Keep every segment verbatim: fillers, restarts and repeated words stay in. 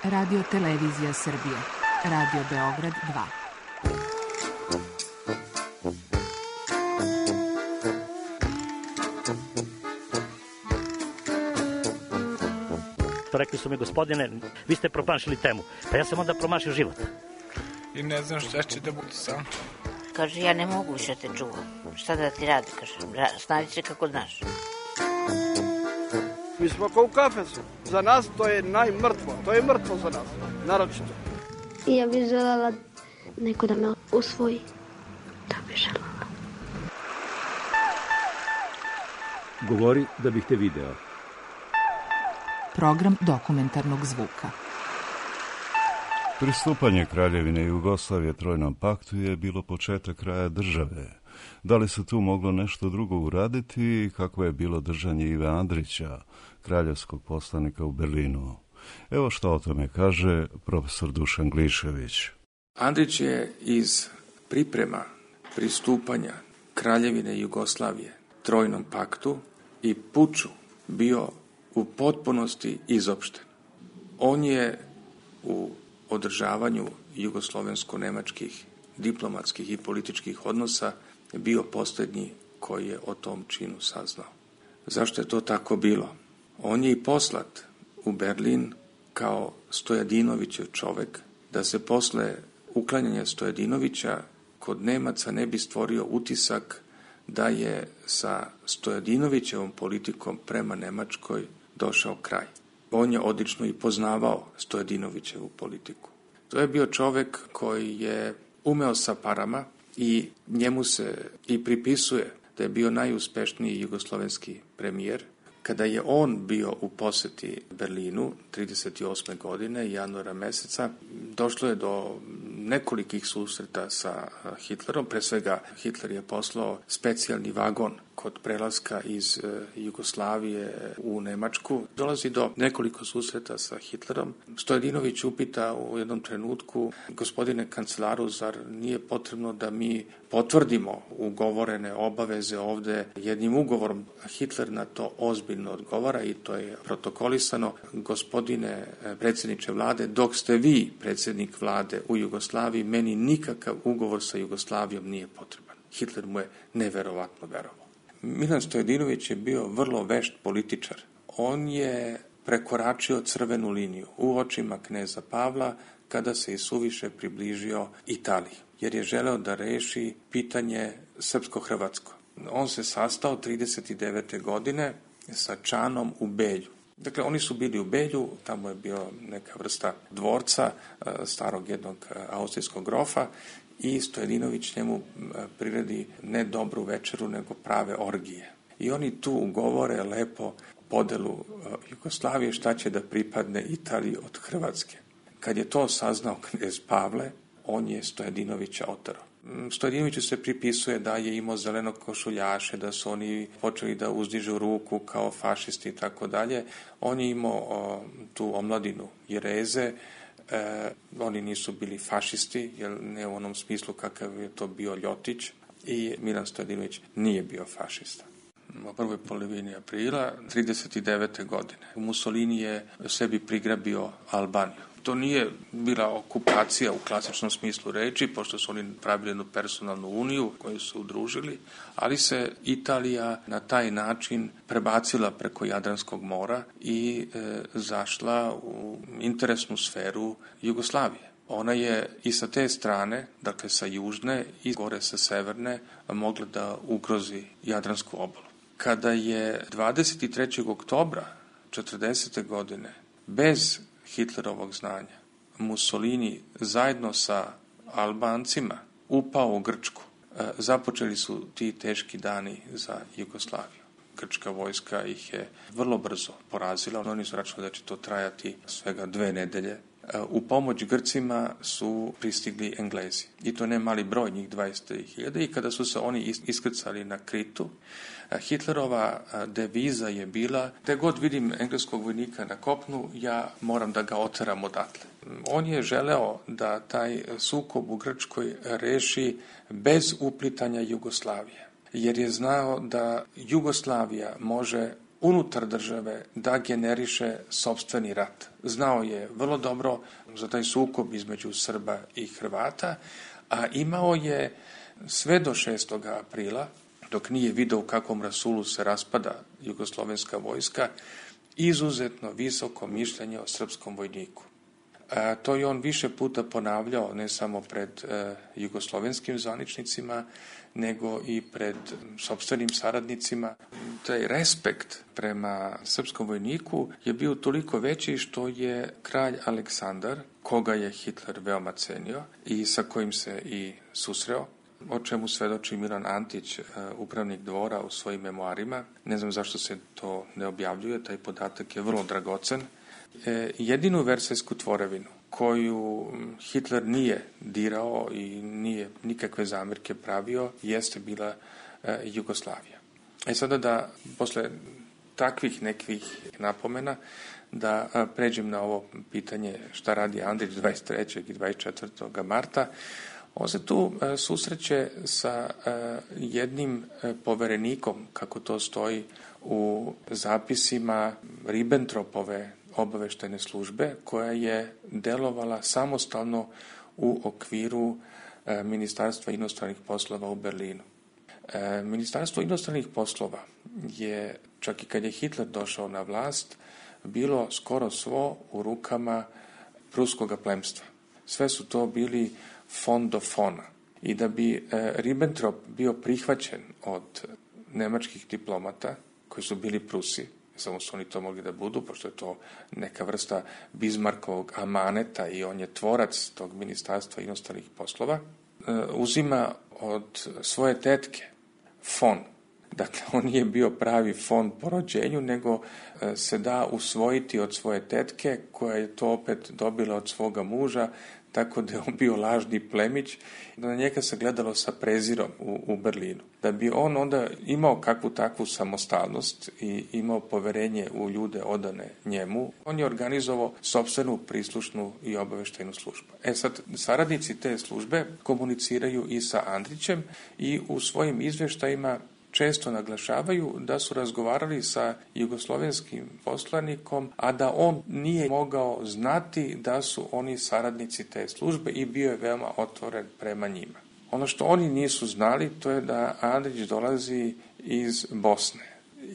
Radio Televizija Srbije. Radio Beograd dva. Rekli su mi, gospodine, vi ste promašili temu. Pa ja sam onda promašio život. I ne znam šta će da bude sam. Kaže, ja ne mogu više te čuvam. Šta da ti radi, kaže, snađi se kako znaš. Mi smo kao u kafesu. Za nas to je najmrtvo. To je mrtvo za nas, naročito. I ja bih željela neko da me usvoji. Da bih željela. Govori da bih te video. Program dokumentarnog zvuka. Pristupanje Kraljevine Jugoslavije Trojnom paktu je bilo početak kraja države. Da li se tu moglo nešto drugo uraditi i kako je bilo držanje Ive Andrića, kraljevskog poslanika u Berlinu? Evo što o tome kaže profesor Dušan Glišević. Andrić je iz priprema pristupanja Kraljevine Jugoslavije Trojnom paktu i puču bio u potpunosti izopšten. On je u održavanju jugoslovensko-nemačkih diplomatskih i političkih odnosa bio posljednji koji je o tom činu saznao. Zašto je to tako bilo? On je i poslat u Berlin kao Stojadinovićev čovek, da se posle uklanjanja Stojadinovića kod Nemaca ne bi stvorio utisak da je sa Stojadinovićevom politikom prema Nemačkoj došao kraj. On je odlično i poznavao Stojadinovićevu politiku. To je bio čovek koji je umeo sa parama i njemu se i pripisuje da je bio najuspešniji jugoslovenski premijer. Kada je on bio u poseti Berlinu trideset osme godine, januara meseca, došlo je do nekolikih susreta sa Hitlerom. Pre svega Hitler je poslao specijalni vagon kod prelaska iz Jugoslavije u Nemačku. Dolazi do nekoliko susreta sa Hitlerom. Stojadinović upita u jednom trenutku, gospodine kancelaru, zar nije potrebno da mi potvrdimo ugovorene obaveze ovde jednim ugovorom? Hitler na to ozbiljno odgovara i to je protokolisano. Gospodine predsjedniče vlade, dok ste vi predsjednik vlade u Jugoslaviji, meni nikakav ugovor sa Jugoslavijom nije potreban. Hitler mu je neverovatno verovao. Milan Stojadinović je bio vrlo vešt političar. On je prekoračio crvenu liniju u očima kneza Pavla kada se i suviše približio Italiji, jer je želeo da reši pitanje srpsko-hrvatsko. On se sastao trideset devete godine sa Čanom u Belju. Dakle, oni su bili u Belju, tamo je bio neka vrsta dvorca starog jednog austrijskog grofa i Stojadinović njemu priredi ne dobru večeru, nego prave orgije. I oni tu ugovore lepo podelu Jugoslavije šta će da pripadne Italiji od Hrvatske. Kad je to saznao knez Pavle, on je Stojadinovića oterao. Stojadinoviću se pripisuje da je imao zelenog košuljaše, da su oni počeli da uzdižu ruku kao fašisti i tako dalje. On je imao o, tu omladinu Jereze, e, oni nisu bili fašisti, jer ne u onom smislu kakav je to bio Ljotić, i Milan Stojadinović nije bio fašista. U prvoj polovini aprila trideset devete godine Mussolini je sebi prigrabio Albaniju. To nije bila okupacija u klasičnom smislu reči, pošto su oni pravili jednu personalnu uniju koju su udružili, ali se Italija na taj način prebacila preko Jadranskog mora i e, zašla u interesnu sferu Jugoslavije. Ona je i sa te strane, dakle sa južne i gore sa severne, mogla da ugrozi Jadransku obalu. Kada je dvadeset trećeg oktobra četrdesete godine bez Hitlerovog znanja Mussolini zajedno sa Albancima upao u Grčku, započeli su ti teški dani za Jugoslaviju. Grčka vojska ih je vrlo brzo porazila, oni su računali da će to trajati svega dve nedelje. U pomoć Grcima su pristigli Englezi. I to ne mali broj, njih dvadeset hiljada. I kada su se oni iskrcali na Kritu, Hitlerova deviza je bila: gde god vidim engleskog vojnika na kopnu, ja moram da ga oteram odatle. On je želeo da taj sukob u Grčkoj reši bez uplitanja Jugoslavije, jer je znao da Jugoslavija može unutar države da generiše sopstveni rat. Znao je vrlo dobro za taj sukob između Srba i Hrvata, a imao je sve do šestog aprila, dok nije video u kakvom rasulu se raspada jugoslovenska vojska, izuzetno visoko mišljenje o srpskom vojniku. A, to je on više puta ponavljao, ne samo pred e, jugoslovenskim zvaničnicima, nego i pred sopstvenim saradnicima. Taj respekt prema srpskom vojniku je bio toliko veći što je kralj Aleksandar, koga je Hitler veoma cenio i sa kojim se i susreo, o čemu svedoči Milan Antić, upravnik dvora, u svojim memoarima. Ne znam zašto se to ne objavljuje, taj podatak je vrlo dragocen. E, jedinu versajsku tvorevinu koju Hitler nije dirao i nije nikakve zamirke pravio, jeste bila e, Jugoslavija. E sada da, posle takvih nekih napomena, da a, pređem na ovo pitanje šta radi Andrić dvadeset trećeg i dvadeset četvrtog marta. On se tu e, susreće sa e, jednim e, poverenikom, kako to stoji u zapisima Ribbentropove obaveštajne službe, koja je delovala samostalno u okviru e, Ministarstva inostranih poslova u Berlinu. E, Ministarstvo inostranih poslova je, čak i kad je Hitler došao na vlast, bilo skoro svo u rukama pruskoga plemstva. Sve su to bili fon do fona. I da bi e, Ribbentrop bio prihvaćen od nemačkih diplomata, koji su bili Prusi, samo su oni to mogli da budu, pošto je to neka vrsta Bismarckovog amaneta i on je tvorac tog Ministarstva inostranih poslova, e, uzima od svoje tetke fon. Dakle, on nije bio pravi fon po rođenju, nego e, se da usvojiti od svoje tetke, koja je to opet dobila od svoga muža, tako da je on bio lažni plemić, na njega se gledalo sa prezirom u, u Berlinu. Da bi on onda imao kakvu takvu samostalnost i imao poverenje u ljude odane njemu, on je organizovao sopstvenu prislušnu i obaveštajnu službu. E sad, saradnici te službe komuniciraju i sa Andrićem i u svojim izveštajima često naglašavaju da su razgovarali sa jugoslovenskim poslanikom, a da on nije mogao znati da su oni saradnici te službe i bio je veoma otvoren prema njima. Ono što oni nisu znali, to je da Andrić dolazi iz Bosne,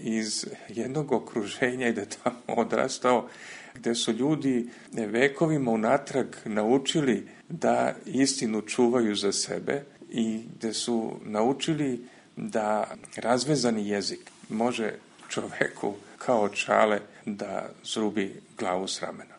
iz jednog okruženja i da je tamo odrastao, gde su ljudi vekovima unatrag naučili da istinu čuvaju za sebe i gde su naučili da razvezani jezik može čoveku kao čale da zrubi glavu s ramena.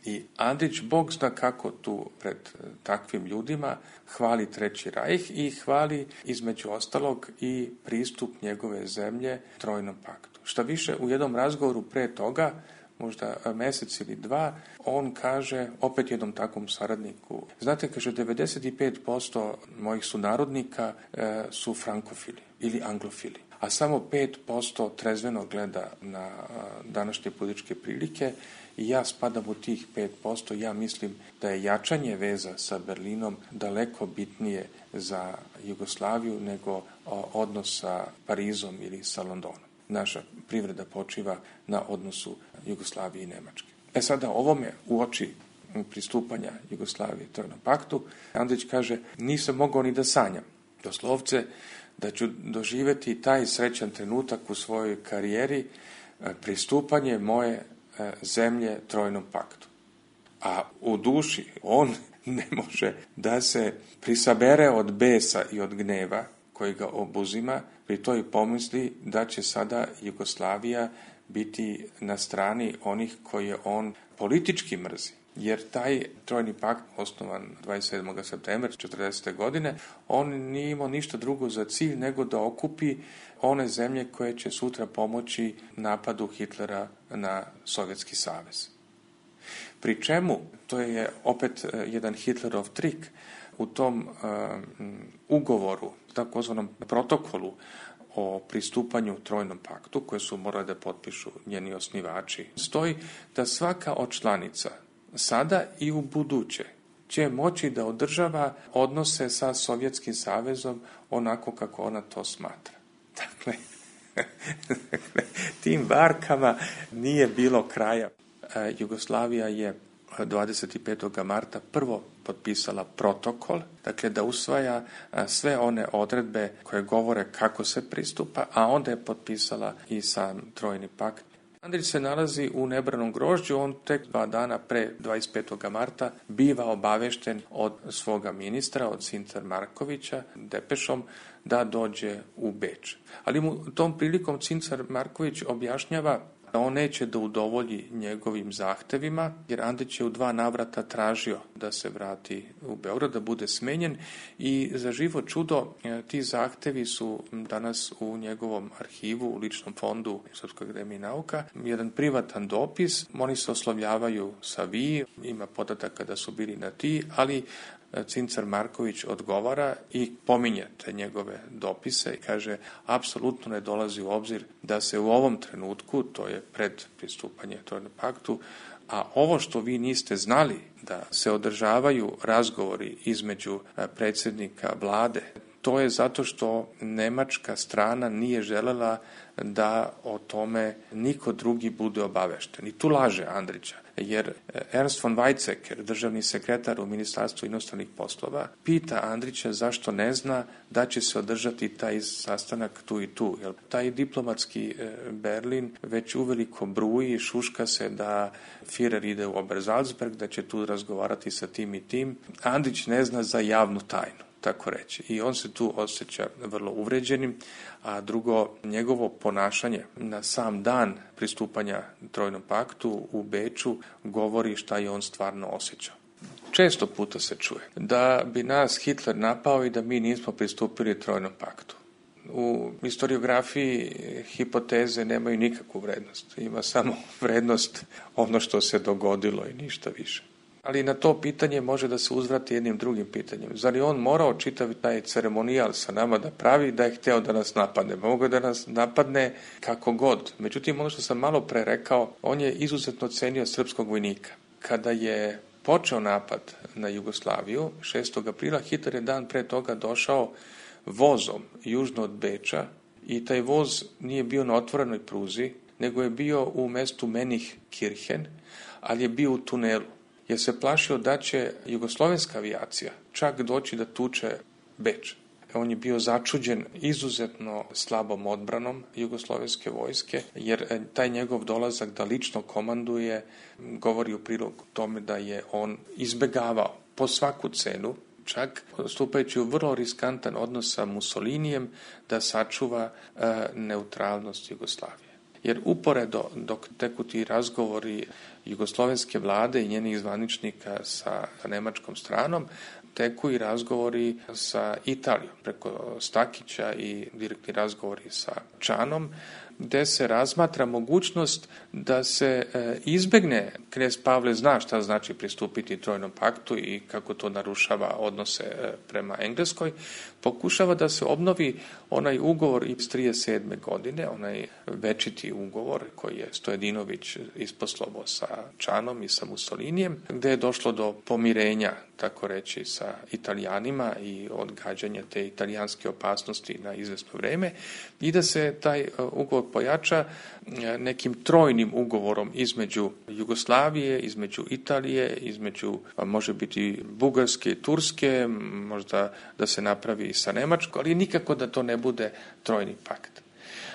I Andrić, Bog zna kako tu pred takvim ljudima, hvali Treći rajh i hvali između ostalog i pristup njegove zemlje Trojnom paktu. Šta više, u jednom razgovoru pre toga, možda mesec ili dva, on kaže opet jednom takvom saradniku, znate, kaže, devedeset pet posto mojih sunarodnika e, su frankofili ili anglofili, a samo pet posto trezveno gleda na a, današnje političke prilike i ja spadam u tih pet posto. Ja mislim da je jačanje veza sa Berlinom daleko bitnije za Jugoslaviju nego a, odnos sa Parizom ili sa Londonom. Naša privreda počiva na odnosu Jugoslavije i Nemačke. E sada, ovome u oči pristupanja Jugoslavije Trojnom paktu, Andrić kaže, nisam mogao ni da sanjam, doslovce, da ću doživeti taj srećan trenutak u svojoj karijeri, pristupanje moje zemlje Trojnom paktu. A u duši on ne može da se prisabere od besa i od gneva koji ga obuzima, pri toj pomisli da će sada Jugoslavija biti na strani onih koje on politički mrzi. Jer taj Trojni pakt, osnovan dvadeset sedmog septembra četrdesete godine, on nije imao ništa drugo za cilj nego da okupi one zemlje koje će sutra pomoći napadu Hitlera na Sovjetski savez. Pri čemu, to je opet jedan Hitlerov trik, u tom um, ugovoru, takozvanom protokolu o pristupanju Trojnom paktu, koje su morali da potpišu njeni osnivači, stoji da svaka od članica sada i u buduće će moći da održava odnose sa Sovjetskim savezom onako kako ona to smatra. Dakle, Tim varkama nije bilo kraja. Jugoslavija je dvadeset petog marta prvo potpisala protokol, dakle da usvaja sve one odredbe koje govore kako se pristupa, a onda je potpisala i sam Trojni pakt. Andrić se nalazi u nebranom grožđu, on tek dva dana pre dvadeset petog marta biva obavešten od svoga ministra, od Cincar Markovića, depešom, da dođe u Beč. Ali mu tom prilikom Cincar Marković objašnjava da on neće da udovolji njegovim zahtevima, jer Andrić je u dva navrata tražio da se vrati u Beograd, da bude smenjen i za živo čudo ti zahtevi su danas u njegovom arhivu, u ličnom fondu Srpske akademije nauka. Jedan privatan dopis, oni se oslovljavaju sa vi, ima podataka da su bili na ti, ali Cincar Marković odgovara i pominje te njegove dopise i kaže apsolutno ne dolazi u obzir da se u ovom trenutku, to je pred pristupanje Trojnom paktu, a ovo što vi niste znali da se održavaju razgovori između predsjednika vlade, to je zato što nemačka strana nije želela da o tome niko drugi bude obavešten. I tu laže Andrića, jer Ernst von Weizsäcker, državni sekretar u Ministarstvu inostranih poslova, pita Andrića zašto ne zna da će se održati taj sastanak tu i tu. Jer taj diplomatski Berlin već uveliko bruji, šuška se da Führer ide u Obersalzberg, da će tu razgovarati sa tim i tim. Andrić ne zna za javnu tajnu, tako reći. I on se tu osjeća vrlo uvređenim, a drugo, njegovo ponašanje na sam dan pristupanja Trojnom paktu u Beču govori šta je on stvarno osjećao. Često puta se čuje da bi nas Hitler napao i da mi nismo pristupili Trojnom paktu. U historiografiji hipoteze nemaju nikakvu vrednost. Ima samo vrednost ono što se dogodilo i ništa više. Ali na to pitanje može da se uzvrati jednim drugim pitanjem. Zar je on morao čitav taj ceremonijal sa nama da pravi da je hteo da nas napadne? Mogu da nas napadne kako god. Međutim, ono što sam malo pre rekao, on je izuzetno cenio srpskog vojnika. Kada je počeo napad na Jugoslaviju, šestog aprila, Hitler je dan pre toga došao vozom južno od Beča i taj voz nije bio na otvorenoj pruzi, nego je bio u mestu Menikirchen, ali je bio u tunelu. Jer se plašio da će jugoslovenska avijacija čak doći da tuče Beč. On je bio začuđen izuzetno slabom odbranom jugoslovenske vojske, jer taj njegov dolazak da lično komanduje govori u prilog tome da je on izbegavao po svaku cenu, čak stupajući u vrlo riskantan odnos sa Mussolinijem, da sačuva e, neutralnost Jugoslavije. Jer uporedo dok teku ti razgovori jugoslovenske vlade i njenih zvaničnika sa nemačkom stranom, teku i razgovori sa Italijom preko Stakića i direktni razgovori sa Čanom, gde se razmatra mogućnost da se e, izbegne, knez Pavle zna šta znači pristupiti Trojnom paktu i kako to narušava odnose e, prema Engleskoj, pokušava da se obnovi onaj ugovor iz trideset sedme godine, onaj večiti ugovor koji je Stojedinović isposlovao sa Čanom i sa Mussolinijem, gde je došlo do pomirenja, tako reći, sa Italijanima i odgađanja te italijanske opasnosti na izvesno vreme i da se taj ugovor pojača nekim trojnim ugovorom između Jugoslavije, između Italije, između, može biti Bugarske i Turske, možda da se napravi i sa Nemačkom, ali nikako da to ne bude trojni pakt.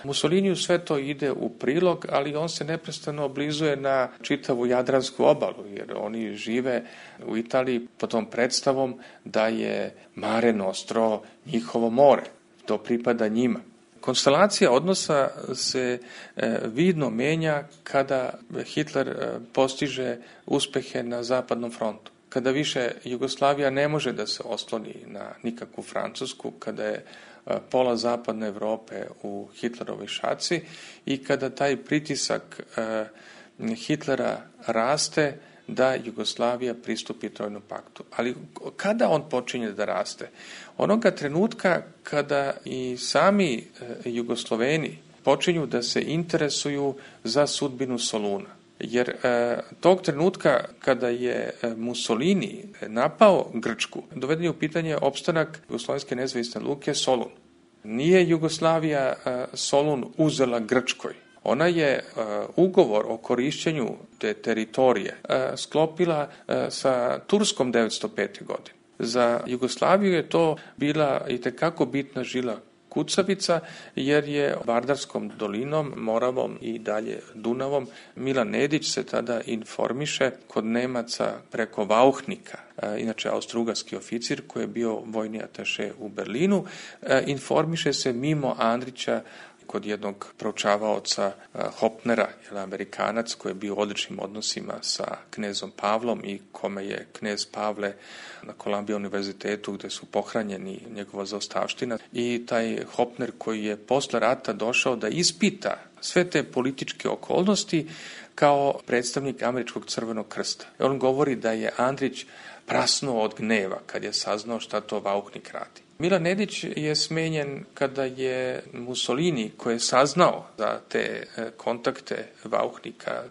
Mussoliniju sve to ide u prilog, ali on se neprestano oblizuje na čitavu Jadransku obalu, jer oni žive u Italiji pod tom predstavom da je Mare Nostro njihovo more, to pripada njima. Konstelacija odnosa se e, vidno menja kada Hitler e, postiže uspehe na zapadnom frontu. Kada više Jugoslavija ne može da se osloni na nikakvu Francusku, kada je e, pola zapadne Evrope u Hitlerovoj šaci i kada taj pritisak e, Hitlera raste da Jugoslavija pristupi Trojnom paktu. Ali kada on počinje da raste? Onoga trenutka kada i sami e, Jugosloveni počinju da se interesuju za sudbinu Soluna. Jer e, tog trenutka kada je Mussolini napao Grčku, doveden je u pitanje opstanak Jugoslovenske nezavisne luke Solun. Nije Jugoslavija Solun uzela Grčkoj. Ona je ugovor o korišćenju te teritorije sklopila sa Turskom devetsto pete. godine. Za Jugoslaviju je to bila itekako bitna žila kucavica, jer je Vardarskom dolinom, Moravom i dalje Dunavom Milan Nedić se tada informiše kod Nemaca preko Vauchnika, inače austrougarski oficir koji je bio vojni ataše u Berlinu, informiše se mimo Andrića kod jednog proučavaoca Hopnera, jedan Amerikanac koji je bio u odličnim odnosima sa knezom Pavlom i kome je knez Pavle na Columbia univerzitetu gde su pohranjeni njegova zaostavština. I taj Hopner koji je posle rata došao da ispita sve te političke okolnosti kao predstavnik Američkog crvenog krsta. On govori da je Andrić prasnuo od gneva kad je saznao šta to Vauchnik radi. Milan Nedić je smenjen kada je Mussolini, koji je saznao za te kontakte Vauchnika,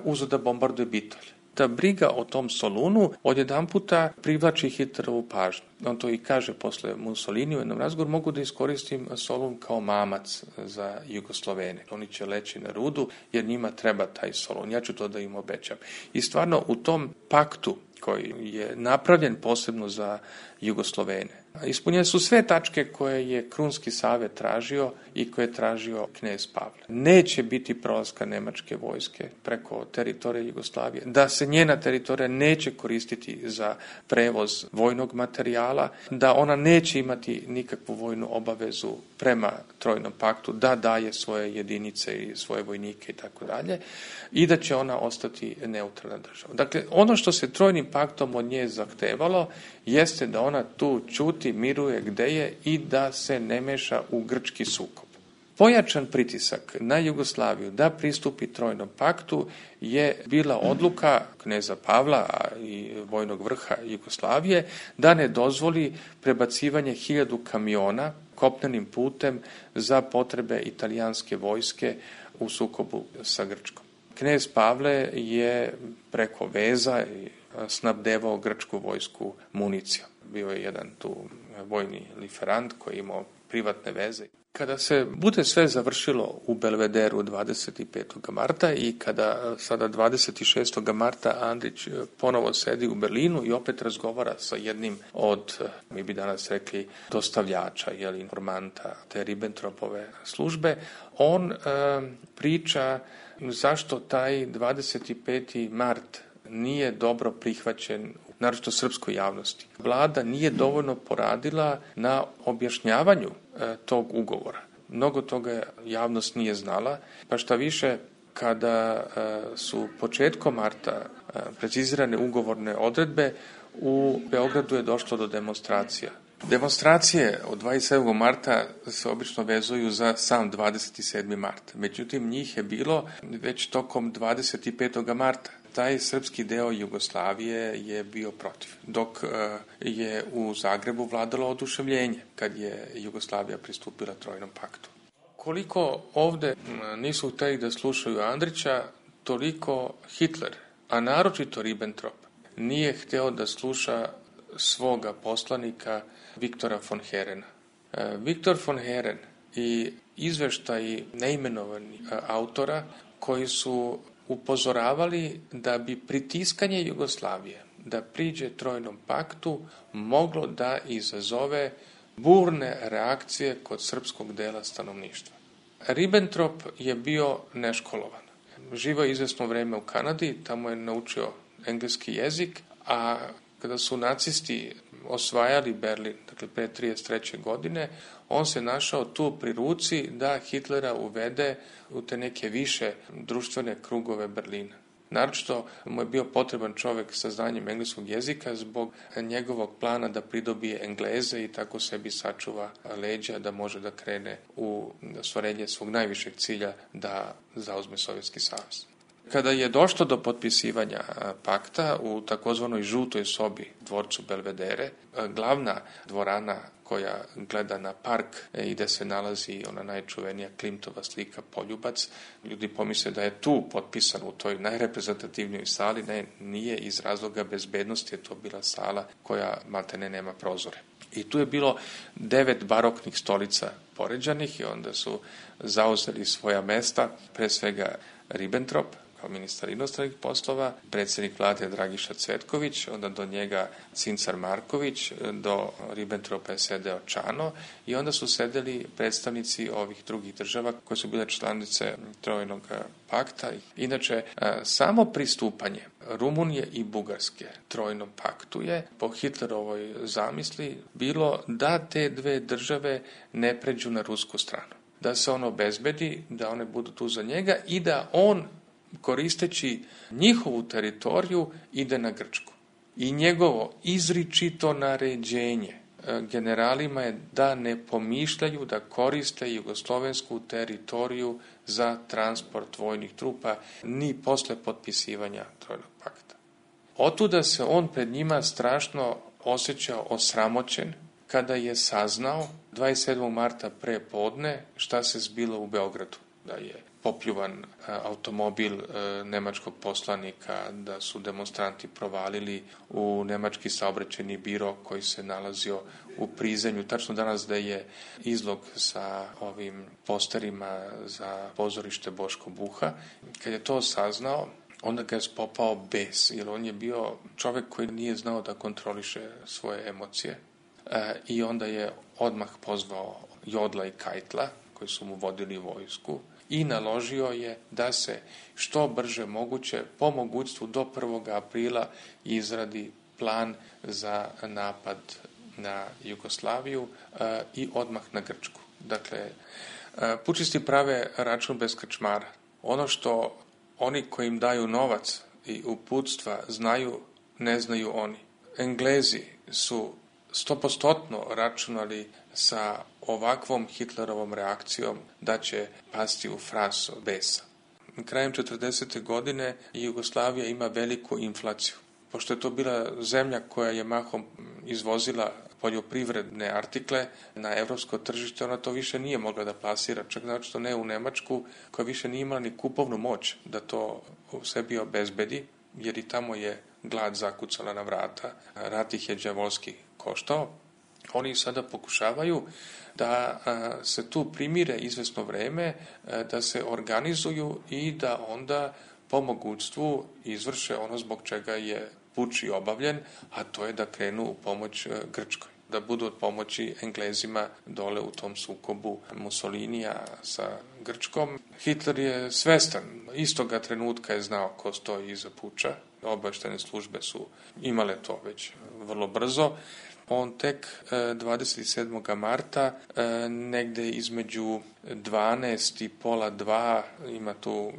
uzeo da bombarduje Bitolj. Ta briga o tom Solunu odjedanputa privlači Hitlerovu pažnju. On to i kaže posle Mussolini u jednom razgovoru, mogu da iskoristim Solun kao mamac za Jugoslovene. Oni će leći na rudu jer njima treba taj Solun. Ja ću to da im obećam. I stvarno u tom paktu koji je napravljen posebno za Jugoslovene, ispunjene su sve tačke koje je Krunski savet tražio i koje je tražio knez Pavle. Neće biti prolaska nemačke vojske preko teritorije Jugoslavije, da se njena teritorija neće koristiti za prevoz vojnog materijala, da ona neće imati nikakvu vojnu obavezu prema Trojnom paktu, da daje svoje jedinice i svoje vojnike i tako dalje, i da će ona ostati neutralna država. Dakle, ono što se Trojnim paktom od nje zahtevalo jeste da ona tu ćuti, miruje gde je i da se ne meša u grčki sukob. Pojačan pritisak na Jugoslaviju da pristupi Trojnom paktu je bila odluka kneza Pavla i vojnog vrha Jugoslavije da ne dozvoli prebacivanje hiljadu kamiona kopnenim putem za potrebe italijanske vojske u sukobu sa Grčkom. Knez Pavle je preko veza snabdevao grčku vojsku municijom. Bio je jedan tu vojni liferant koji je imao privatne veze. Kada se bude sve završilo u Belvederu dvadeset petog marta i kada sada dvadeset šestog marta Andrić ponovo sedi u Berlinu i opet razgovara sa jednim od, mi bi danas rekli, dostavljača, jeli, informanta te Ribbentropove službe, on e, priča zašto taj dvadeset peti mart nije dobro prihvaćen, naročito srpskoj javnosti. Vlada nije dovoljno poradila na objašnjavanju e, tog ugovora. Mnogo toga javnost nije znala, pa šta više, kada e, su početkom marta e, precizirane ugovorne odredbe, u Beogradu je došlo do demonstracija. Demonstracije od dvadeset sedmog marta se obično vezuju za sam dvadeset sedmi mart. Međutim, njih je bilo već tokom dvadeset petog marta. Taj srpski deo Jugoslavije je bio protiv, dok je u Zagrebu vladalo oduševljenje kad je Jugoslavija pristupila Trojnom paktu. Koliko ovde nisu hteli da slušaju Andrića, toliko Hitler, a naročito Ribbentrop, nije hteo da sluša svoga poslanika Viktora von Herena. Viktor von Heren i izveštaji neimenovanih autora koji su upozoravali da bi pritiskanje Jugoslavije da priđe Trojnom paktu moglo da izazove burne reakcije kod srpskog dela stanovništva. Ribbentrop je bio neškolovan. Živao je izvesno vreme u Kanadi, tamo je naučio engleski jezik, a kada su nacisti osvajali Berlin, dakle pre trideset treće godine, on se našao tu pri ruci da Hitlera uvede u te neke više društvene krugove Berlina. Naročito mu je bio potreban čovek sa znanjem engleskog jezika zbog njegovog plana da pridobije Engleze i tako sebi sačuva leđa da može da krene u ostvarenje svog najvišeg cilja da zauzme Sovjetski savez. Kada je došlo do potpisivanja pakta u takozvanoj žutoj sobi dvorcu Belvedere, glavna dvorana koja gleda na park i gde se nalazi ona najčuvenija Klimtova slika Poljubac, ljudi pomisle da je tu potpisan u toj najreprezentativnijoj sali, ne, nije, iz razloga bezbednosti je to bila sala koja maltene nema prozore. I tu je bilo devet baroknih stolica poređanih i onda su zauzeli svoja mesta, pre svega Ribbentrop, kao ministar inostranih poslova, predsjednik vlade Dragiša Cvetković, onda do njega Cincar Marković, do Ribbentropa je sedeo Čano i onda su sedeli predstavnici ovih drugih država koje su bile članice Trojnog pakta. Inače, samo pristupanje Rumunije i Bugarske Trojnom paktu je po Hitlerovoj zamisli bilo da te dve države ne pređu na rusku stranu. Da se on obezbedi, da one budu tu za njega i da on koristeći njihovu teritoriju ide na Grčku. I njegovo izričito naređenje generalima je da ne pomišljaju da koriste jugoslovensku teritoriju za transport vojnih trupa ni posle potpisivanja Trojnog pakta. Otuda se on pred njima strašno osjećao osramoćen kada je saznao dvadeset sedmog marta pre podne šta se zbilo u Beogradu, da je popljuvan automobil nemačkog poslanika, da su demonstranti provalili u nemački saobraćajni biro koji se nalazio u Prizrenju. Tačno danas da je izlog sa ovim posterima za pozorište Boško Buha. Kad je to saznao, onda ga je spopao bes, jer on je bio čovek koji nije znao da kontroliše svoje emocije. I onda je odmah pozvao Jodla i Kajtla, koji su mu vodili vojsku, i naložio je da se što brže moguće, po mogućstvu do prvog aprila, izradi plan za napad na Jugoslaviju e, i odmah na Grčku. Dakle, e, pučisti prave račun bez krčmara. Ono što oni koji im daju novac i uputstva znaju, ne znaju oni. Englezi su stopostotno računali sa ovakvom Hitlerovom reakcijom da će pasti u frasu besa. Krajem četrdesete godine Jugoslavija ima veliku inflaciju. Pošto je to bila zemlja koja je mahom izvozila poljoprivredne artikle na evropsko tržište, ona to više nije mogla da plasira, čak znači to ne u Nemačku, koja više nije imala ni kupovnu moć da to u sebi obezbedi, jer i tamo je glad zakucala na vrata, rat ih je đavolski koštao. Oni sada pokušavaju da se tu primire izvesno vreme, da se organizuju i da onda po mogućstvu izvrše ono zbog čega je puč i obavljen, a to je da krenu u pomoć Grčkoj, da budu od pomoći Englezima dole u tom sukobu Mussolinija sa Grčkom. Hitler je svestan, istoga trenutka je znao ko stoji iza puča, obavještajne službe su imale to već vrlo brzo. On tek dvadeset sedmog marta negde između dvanaest i pola dva ima tu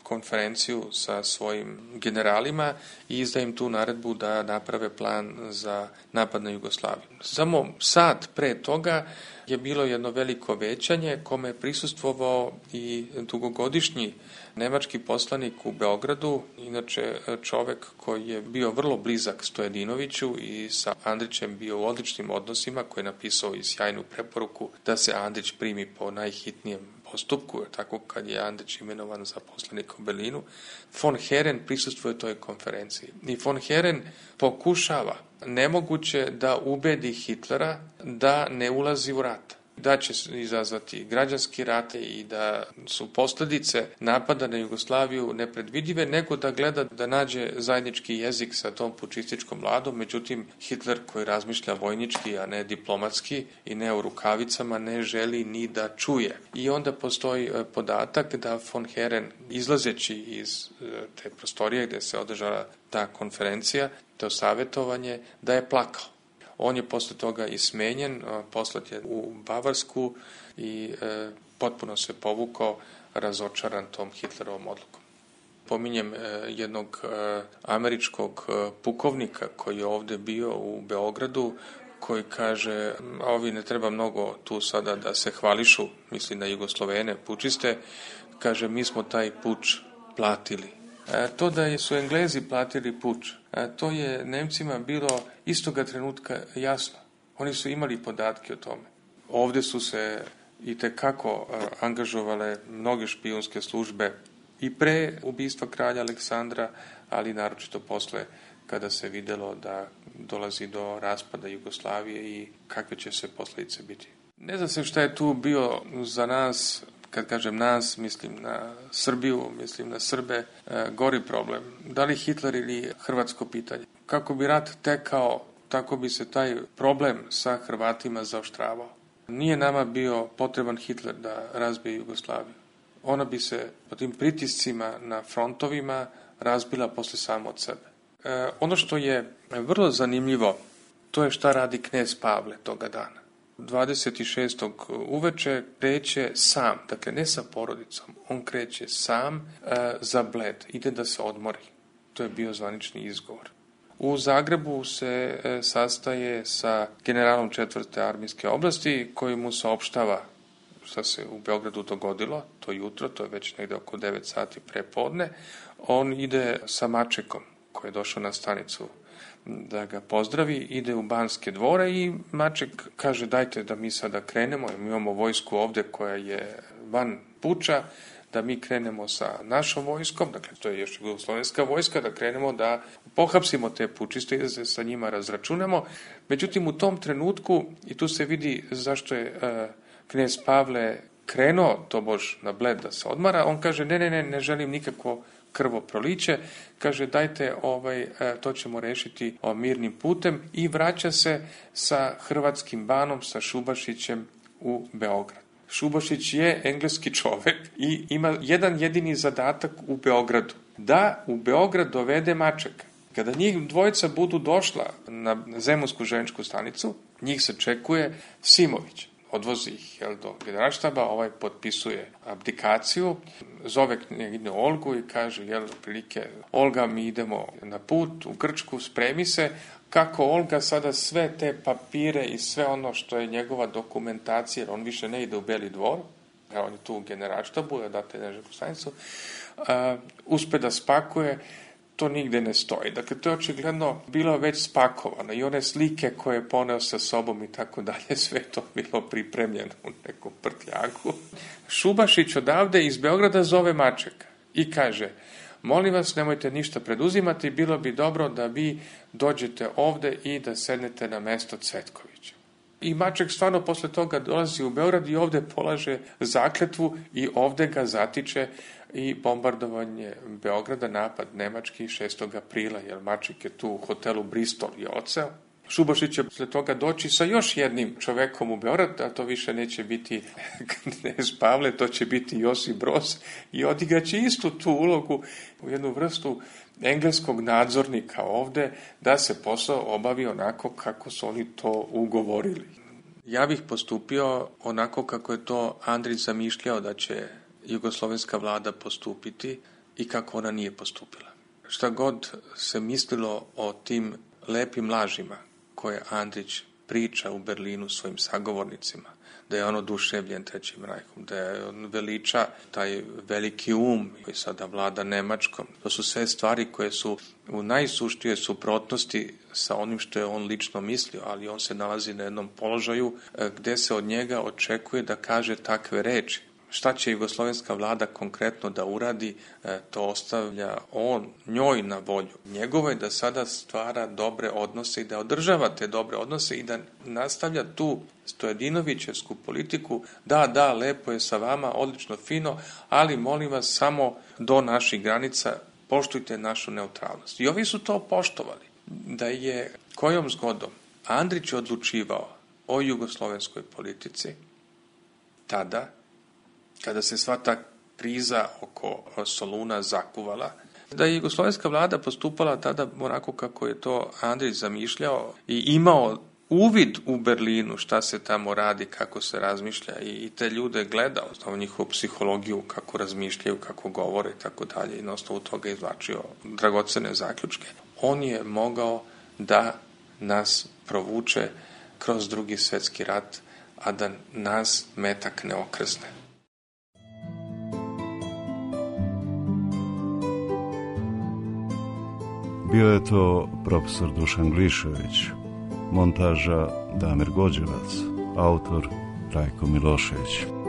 konferenciju sa svojim generalima i izda im tu naredbu da naprave plan za napad na Jugoslaviju. Samo sat pre toga je bilo jedno veliko većanje kome je prisustvovao i dugogodišnji nemački poslanik u Beogradu, inače čovek koji je bio vrlo blizak Stojadinoviću i sa Andrićem bio u odličnim odnosima, koji je napisao i sjajnu preporuku da se Andrić primi po najhitnijem postupku, jer tako kad je Andrić imenovan za poslanika u Berlinu. Von Herren prisustvuje toj konferenciji. I von Herren pokušava nemoguće da ubedi Hitlera da ne ulazi u rat, da će izazvati građanski rat i da su posljedice napada na Jugoslaviju nepredvidive, nego da gleda da nađe zajednički jezik sa tom pučističkom vladom. Međutim, Hitler, koji razmišlja vojnički, a ne diplomatski i ne u rukavicama, ne želi ni da čuje. I onda postoji podatak da von Herren, izlazeći iz te prostorije gde se održala ta konferencija, to savjetovanje, da je plakao. On je posle toga i smenjen, poslat je u Bavarsku i e, potpuno se povukao, razočaran tom Hitlerovom odlukom. Pominjem e, jednog e, američkog e, pukovnika koji je ovde bio u Beogradu, koji kaže, a ovi ne treba mnogo tu sada da se hvališu, misli na Jugoslovene, pučiste, kaže, mi smo taj puč platili. E, to da su Englezi platili puč, e, to je Nemcima bilo istoga trenutka jasno. Oni su imali podatke o tome. Ovde su se i tekako e, angažovale mnoge špijunske službe i pre ubistva kralja Aleksandra, ali naročito posle kada se videlo da dolazi do raspada Jugoslavije i kakve će se posljedice biti. Ne zna se šta je tu bio za nas, kad kažem nas, mislim na Srbiju, mislim na Srbe, e, gori problem. Da li Hitler ili hrvatsko pitanje? Kako bi rat tekao, tako bi se taj problem sa Hrvatima zaoštravao. Nije nama bio potreban Hitler da razbije Jugoslaviju. Ona bi se po tim pritiscima na frontovima razbila posle samo od sebe. E, ono što je vrlo zanimljivo, to je šta radi knez Pavle toga dana. dvadeset šestog uveče kreće sam, dakle ne sa porodicom, on kreće sam e, za Bled, ide da se odmori. To je bio zvanični izgovor. U Zagrebu se e, sastaje sa generalom četvrte armijske oblasti koji mu saopštava šta se u Beogradu dogodilo, to jutro, to je već negde oko devet sati prepodne. On ide sa Mačekom koji je došao na stanicu da ga pozdravi, ide u Banske dvore i Maček kaže dajte da mi sada krenemo, mi imamo vojsku ovde koja je van puča, da mi krenemo sa našom vojskom, dakle to je još jugoslovenska vojska, da krenemo da pohapsimo te pučiste i da se sa njima razračunamo. Međutim, u tom trenutku, i tu se vidi zašto je uh, knez Pavle krenuo tobož na Bled da se odmara, on kaže ne, ne, ne, ne želim nikakvo krvoproliće, kaže dajte ovaj, to ćemo rešiti mirnim putem i vraća se sa hrvatskim banom, sa Šubašićem u Beograd. Šubašić je engleski čovek i ima jedan jedini zadatak u Beogradu, da u Beograd dovede Mačeka. Kada njih dvojica budu došla na Zemunsku železničku stanicu, njih se čekuje Simović. Odvozi ih jel, do generalštaba, ovaj potpisuje abdikaciju, zove knjeginju Olgu i kaže, jel, prilike, Olga, mi idemo na put u Grčku, spremi se, kako Olga sada sve te papire i sve ono što je njegova dokumentacija, on više ne ide u Beli dvor, on je tu u generalštabu, da date neželjku stanicu, uh, uspe da spakuje, to nigde ne stoji. Dakle, to je očigledno bilo već spakovano i one slike koje je poneo sa sobom i tako dalje, sve to bilo pripremljeno u nekom prtljaku. Šubašić odavde iz Beograda zove Mačeka i kaže, molim vas, nemojte ništa preduzimati, bilo bi dobro da vi dođete ovde i da sednete na mesto Cvetkovića. I Maček stvarno posle toga dolazi u Beograd i ovde polaže zakletvu i ovde ga zatiče i bombardovanje Beograda, napad nemački šestog aprila, jer Maček je tu u hotelu Bristol i oceo. Šubašić će posle toga doći sa još jednim čovekom u Beograd, a to više neće biti knez Pavle, to će biti Josip Broz i odigraće istu tu ulogu u jednu vrstu engleskog nadzornika ovde, da se posao obavi onako kako su oni to ugovorili. Ja bih postupio onako kako je to Andrić zamišljao da će jugoslovenska vlada postupiti i kako ona nije postupila. Šta god se mislilo o tim lepim lažima koje Andrić priča u Berlinu svojim sagovornicima, da je on oduševljen Trećim rajhom, da je on veliča taj veliki um koji sada vlada Nemačkom. To su sve stvari koje su u najsuštijoj suprotnosti sa onim što je on lično mislio, ali on se nalazi na jednom položaju gde se od njega očekuje da kaže takve reči. Šta će jugoslovenska vlada konkretno da uradi, to ostavlja on njoj na volju. Njegovo je da sada stvara dobre odnose i da održava te dobre odnose i da nastavlja tu Stojadinovićevsku politiku, da, da, lepo je sa vama, odlično, fino, ali molim vas samo do naših granica poštujte našu neutralnost. I ovi su to poštovali. Da je kojom zgodom Andrić odlučivao o jugoslovenskoj politici, tada, kada se sva ta kriza oko Soluna zakuvala, da je jugoslovenska vlada postupala tada onako kako je to Andrić zamišljao i imao uvid u Berlinu šta se tamo radi, kako se razmišlja i te ljude gledao, znao njihovu psihologiju, kako razmišljaju, kako govore i tako dalje i na osnovu toga izvlačio dragocene zaključke. On je mogao da nas provuče kroz Drugi svetski rat, a da nas metak ne okrzne. Bio je to profesor Dušan Glišević, montaža Damir Gođevac, autor Rajko Milošević.